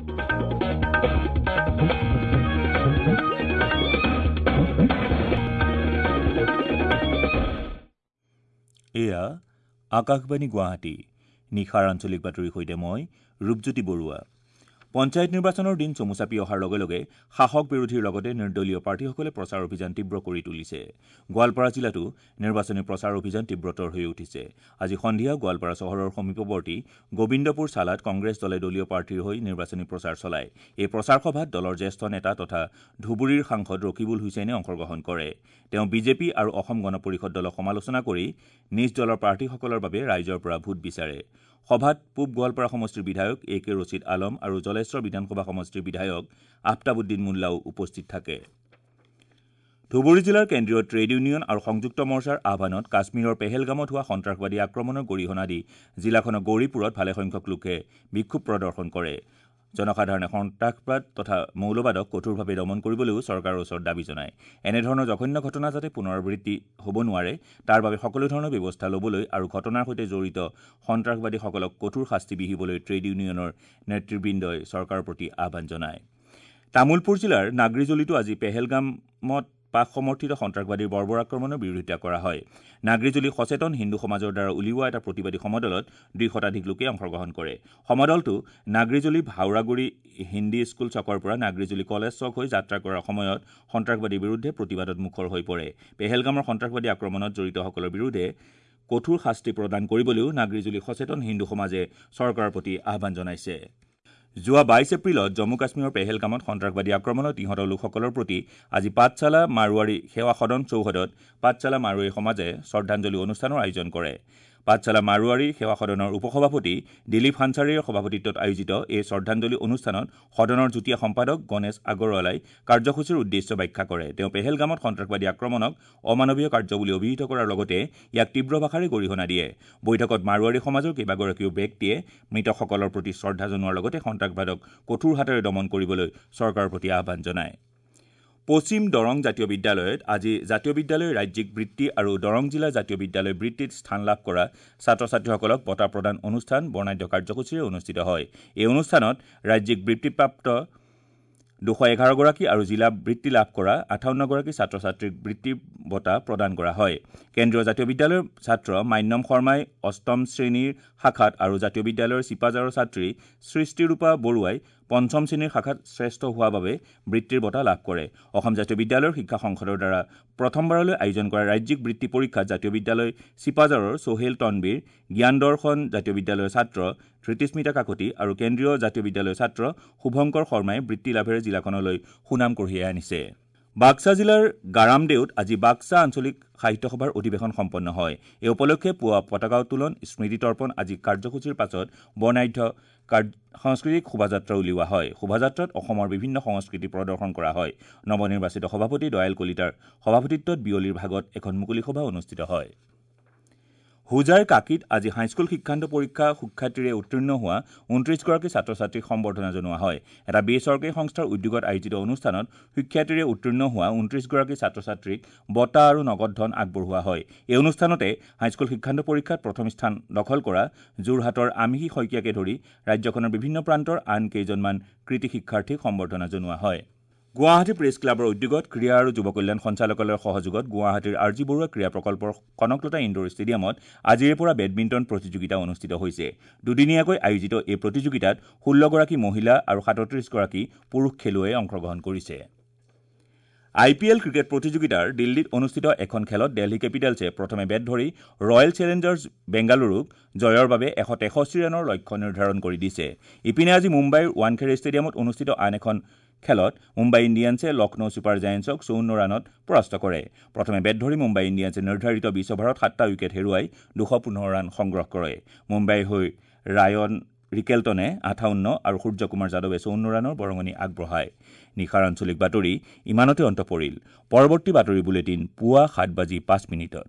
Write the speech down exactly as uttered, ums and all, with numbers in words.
এয়া আকাশবাণী গুৱাহাটী। নিশাৰ আঞ্চলিক বাতৰিৰ সৈতে মই ৰূপজ্যোতি বৰুৱা। পঞ্চায়ত নিৰ্বাচনৰ দিন চমু চাপি অহাৰ লগে লগে শাসক বিৰোধীৰ লগতে নিৰ্দলীয় প্ৰাৰ্থীসকলে প্ৰচাৰ অভিযান তীব্ৰ কৰি তুলিছে। গোৱালপাৰা জিলাতো নিৰ্বাচনী প্ৰচাৰ অভিযান তীব্ৰতৰ হৈ উঠিছে। আজি সন্ধিয়া গোৱালপাৰা চহৰৰ সমীপৱৰ্তী গোবিন্দপুৰ চালাত কংগ্ৰেছ দলে দলীয় প্ৰাৰ্থীৰ হৈ নিৰ্বাচনী প্ৰচাৰ চলায়। এই প্ৰচাৰ সভাত দলৰ জ্যেষ্ঠ নেতা তথা ধুবুৰীৰ সাংসদ ৰকিবুল হুছেইনে অংশগ্ৰহণ কৰে। তেওঁ বিজেপি আৰু অসম গণ পৰিষদ দলক সমালোচনা কৰি নিজ দলৰ প্ৰাৰ্থীসকলৰ বাবে ৰাইজৰ পৰা ভোট বিচাৰে। সভাত পূব গোৱালপাৰা সমষ্টিৰ বিধায়ক এ কে ৰছিদ আলম আৰু জলেশ্বৰ বিধানসভা সমষ্টিৰ বিধায়ক আফতাবুদ্দিন মোল্লাও উপস্থিত থাকে। ধুবুৰী জিলাৰ কেন্দ্ৰীয় ট্ৰেড ইউনিয়ন আৰু সংযুক্ত মৰ্চাৰ আহ্বানত কাশ্মীৰৰ পেহেলগামত হোৱা সন্ত্ৰাসবাদী আক্ৰমণৰ গৰিহণা দি জিলাখনৰ গৌৰীপুৰত ভালেসংখ্যক লোকে বিক্ষোভ প্ৰদৰ্শন কৰে। জনসাধাৰণে সন্ত্ৰাসবাদ তথা মৌলবাদক কঠোৰভাৱে দমন কৰিবলৈও চৰকাৰৰ ওচৰত দাবী জনায়। এনেধৰণৰ জঘন্য ঘটনা যাতে পুনৰাবৃত্তি হ'ব নোৱাৰে তাৰ বাবে সকলো ধৰণৰ ব্যৱস্থা ল'বলৈ আৰু ঘটনাৰ সৈতে জড়িত সন্ত্ৰাসবাদীসকলক কঠোৰ শাস্তি বিহিবলৈ ট্ৰেড ইউনিয়নৰ নেতৃবৃন্দই চৰকাৰৰ প্ৰতি আহ্বান জনায়। তামুলপুৰ জিলাৰ নাগৰিজুলিতো আজি পেহেলগামত পাক সমৰ্থিত সন্ত্ৰাসবাদীৰ বৰ্বৰ আক্ৰমণৰ বিৰোধিতা কৰা হয়। নাগৰিজুলি সচেতন হিন্দু সমাজৰ দ্বাৰা উলিওৱা এটা প্ৰতিবাদী সমদলত দুই শতাধিক লোকে অংশগ্ৰহণ কৰে। সমদলটো নাগৰিজুলি ভাওৰাগুৰি হিন্দী স্কুল চকৰ পৰা নাগৰিজুলি কলেজ চক হৈ যাত্ৰা কৰাৰ সময়ত সন্ত্ৰাসবাদীৰ বিৰুদ্ধে প্ৰতিবাদত মুখৰ হৈ পৰে। পেহেলগামৰ সন্ত্ৰাসবাদী আক্ৰমণত জড়িতসকলৰ বিৰুদ্ধে কঠোৰ শাস্তি প্ৰদান কৰিবলৈও নাগৰিজুলি সচেতন হিন্দু সমাজে চৰকাৰৰ প্ৰতি আহ্বান জনাইছে। যোৱা বাইছ এপ্ৰিলত জম্মু কাশ্মীৰৰ পেহেলগামত সন্ত্ৰাসবাদী আক্ৰমণত নিহত লোকসকলৰ প্ৰতি আজি পাঠশালা মাৰোৱাৰী সেৱা সদন চৌহদত পাঠশালা মাৰোৱাৰী সমাজে শ্ৰদ্ধাঞ্জলি অনুষ্ঠানৰ আয়োজন কৰে। পাঠশালা মাৰোৱাৰী সেৱা সদনৰ উপসভাপতি দিলীপ হানচাৰীৰ সভাপতিত্বত আয়োজিত এই শ্ৰদ্ধাঞ্জলি অনুষ্ঠানত সদনৰ যুটীয়া সম্পাদক গণেশ আগৰৱালাই কাৰ্যসূচীৰ উদ্দেশ্য ব্যাখ্যা কৰে। তেওঁ পেহেলগামত সন্ত্ৰাসবাদী আক্ৰমণক অমানৱীয় কাৰ্য বুলি অভিহিত কৰাৰ লগতে ইয়াক তীব্ৰ ভাষাৰে গৰিহণা দিয়ে। বৈঠকত মাৰোৱাৰী সমাজৰ কেইবাগৰাকীও ব্যক্তিয়ে মৃতকসকলৰ প্ৰতি শ্ৰদ্ধা জনোৱাৰ লগতে সন্ত্ৰাসবাদক কঠোৰ হাতেৰে দমন কৰিবলৈ চৰকাৰৰ প্ৰতি আহ্বান জনায়। পশ্চিম দৰং জাতীয় বিদ্যালয়ত আজি জাতীয় বিদ্যালয় ৰাজ্যিক বৃত্তি আৰু দৰং জিলা জাতীয় বিদ্যালয় বৃত্তিত স্থান লাভ কৰা ছাত্ৰ ছাত্ৰীসকলক বঁটা প্ৰদান অনুষ্ঠান বৰ্ণাঢ্য কাৰ্যসূচীৰে অনুষ্ঠিত হয়। এই অনুষ্ঠানত ৰাজ্যিক বৃত্তিপ্ৰাপ্ত দুশ এঘাৰগৰাকী আৰু জিলা বৃত্তি লাভ কৰা আঠাৱন্নগৰাকী ছাত্ৰ ছাত্ৰীক বৃত্তি বঁটা প্ৰদান কৰা হয়। কেন্দ্ৰীয় জাতীয় বিদ্যালয়ৰ ছাত্ৰ মান্যম শৰ্মাই অষ্টম শ্ৰেণীৰ শাখাত আৰু জাতীয় বিদ্যালয়ৰ চিপাঝাৰৰ ছাত্ৰী সৃষ্টিৰূপা বৰুৱাই পঞ্চম শ্ৰেণীৰ শাখাত শ্ৰেষ্ঠ হোৱাৰ বাবে বৃত্তিৰ বঁটা লাভ কৰে। অসম জাতীয় বিদ্যালয়ৰ শিক্ষা সংসদৰ দ্বাৰা প্ৰথমবাৰলৈ আয়োজন কৰা ৰাজ্যিক বৃত্তি পৰীক্ষাত জাতীয় বিদ্যালয় চিপাঝাৰৰ সোহেল তনবীৰ, জ্ঞান দৰ্শন জাতীয় বিদ্যালয়ৰ ছাত্ৰ ধৃতিস্মিতা কাকতি আৰু কেন্দ্ৰীয় জাতীয় বিদ্যালয়ৰ ছাত্ৰ শুভংকৰ শৰ্মাই বৃত্তি লাভেৰে জিলাখনলৈ সুনাম কঢ়িয়াই আনিছে। বাক্সা জিলাৰ গাৰামদেউত আজি বাক্সা আঞ্চলিক সাহিত্য সভাৰ অধিৱেশন সম্পন্ন হয়। এই উপলক্ষে পুৱা পতাকা উত্তোলন, স্মৃতি তৰ্পণ আদি কাৰ্যসূচীৰ পাছত বৰ্ণাঢ্য সাংস্কৃতিক শোভাযাত্ৰা উলিওৱা হয়। শোভাযাত্ৰাত অসমৰ বিভিন্ন সংস্কৃতি প্ৰদৰ্শন কৰা হয়। নৱনিৰ্বাচিত সভাপতি দয়াল কলিতাৰ সভাপতিত্বত বিয়লিৰ ভাগত এখন মুকলি সভা অনুষ্ঠিত হয়। হোজাইৰ কাকীত আজি হাইস্কুল শিক্ষান্ত পৰীক্ষা সুখ্যাতিৰে উত্তীৰ্ণ হোৱা ঊনত্ৰিছগৰাকী ছাত্ৰ ছাত্ৰীক সম্বৰ্ধনা জনোৱা হয়। এটা বেচৰকাৰী সংস্থাৰ উদ্যোগত আয়োজিত অনুষ্ঠানত সুখ্যাতিৰে উত্তীৰ্ণ হোৱা ঊনত্ৰিছগৰাকী ছাত্ৰ ছাত্ৰীক বঁটা আৰু নগদ ধন আগবঢ়োৱা হয়। এই অনুষ্ঠানতে হাইস্কুল শিক্ষান্ত পৰীক্ষাত প্ৰথম স্থান দখল কৰা যোৰহাটৰ আমিহী শইকীয়াকে ধৰি ৰাজ্যখনৰ বিভিন্ন প্ৰান্তৰ আন কেইজনমান কৃতী শিক্ষাৰ্থীক সম্বৰ্ধনা জনোৱা হয়। গুৱাহাটী প্ৰেছ ক্লাবৰ উদ্যোগত ক্ৰীড়া আৰু যুৱ কল্যাণ সঞ্চালকালয়ৰ সহযোগত গুৱাহাটীৰ আৰ জি বৰুৱা ক্ৰীড়া প্ৰকল্পৰ কনকলতা ইণ্ডোৰ ষ্টেডিয়ামত আজিৰে পৰা বেডমিণ্টন প্ৰতিযোগিতা অনুষ্ঠিত হৈছে। দুদিনীয়াকৈ আয়োজিত এই প্ৰতিযোগিতাত ষোল্লগৰাকী মহিলা আৰু সাতত্ৰিছগৰাকী পুৰুষ খেলুৱৈয়ে অংশগ্ৰহণ কৰিছে। আই পি এল ক্ৰিকেট প্ৰতিযোগিতাৰ দিল্লীত অনুষ্ঠিত এখন খেলত দিল্লী কেপিটেলছে প্ৰথমে বেট ধৰি ৰয়েল চেলেঞ্জাৰ্ছ বেংগালুৰুক জয়ৰ বাবে এশ তেষষ্ঠি ৰানৰ লক্ষ্য নিৰ্ধাৰণ কৰি দিছে। ইপিনে আজি মুম্বাইৰ ৱানখেড়ে ষ্টেডিয়ামত অনুষ্ঠিত আন এখন খেলত মুম্বাই ইণ্ডিয়ানছে লক্ষ্ণৌ ছুপাৰ জায়েণ্টছক চৌৱন্ন ৰানত পৰাস্ত কৰে। প্ৰথমে বেট ধৰি মুম্বাই ইণ্ডিয়ানছে নিৰ্ধাৰিত বিছ অভাৰত সাতটা উইকেট হেৰুৱাই দুশ পোন্ধৰ ৰান সংগ্ৰহ কৰে। মুম্বাইৰ হৈ ৰায়ন ৰিকেল্টনে আঠাৱন্ন আৰু সূৰ্যকুমাৰ যাদৱে চৌৱন্ন ৰানৰ বৰঙণি আগবঢ়ায়। নিশাৰ আঞ্চলিক বাতৰি ইমানতে অন্ত পৰিল। পৰৱৰ্তী বাতৰি বুলেটিন পুৱা সাত বাজি পাঁচ মিনিটত।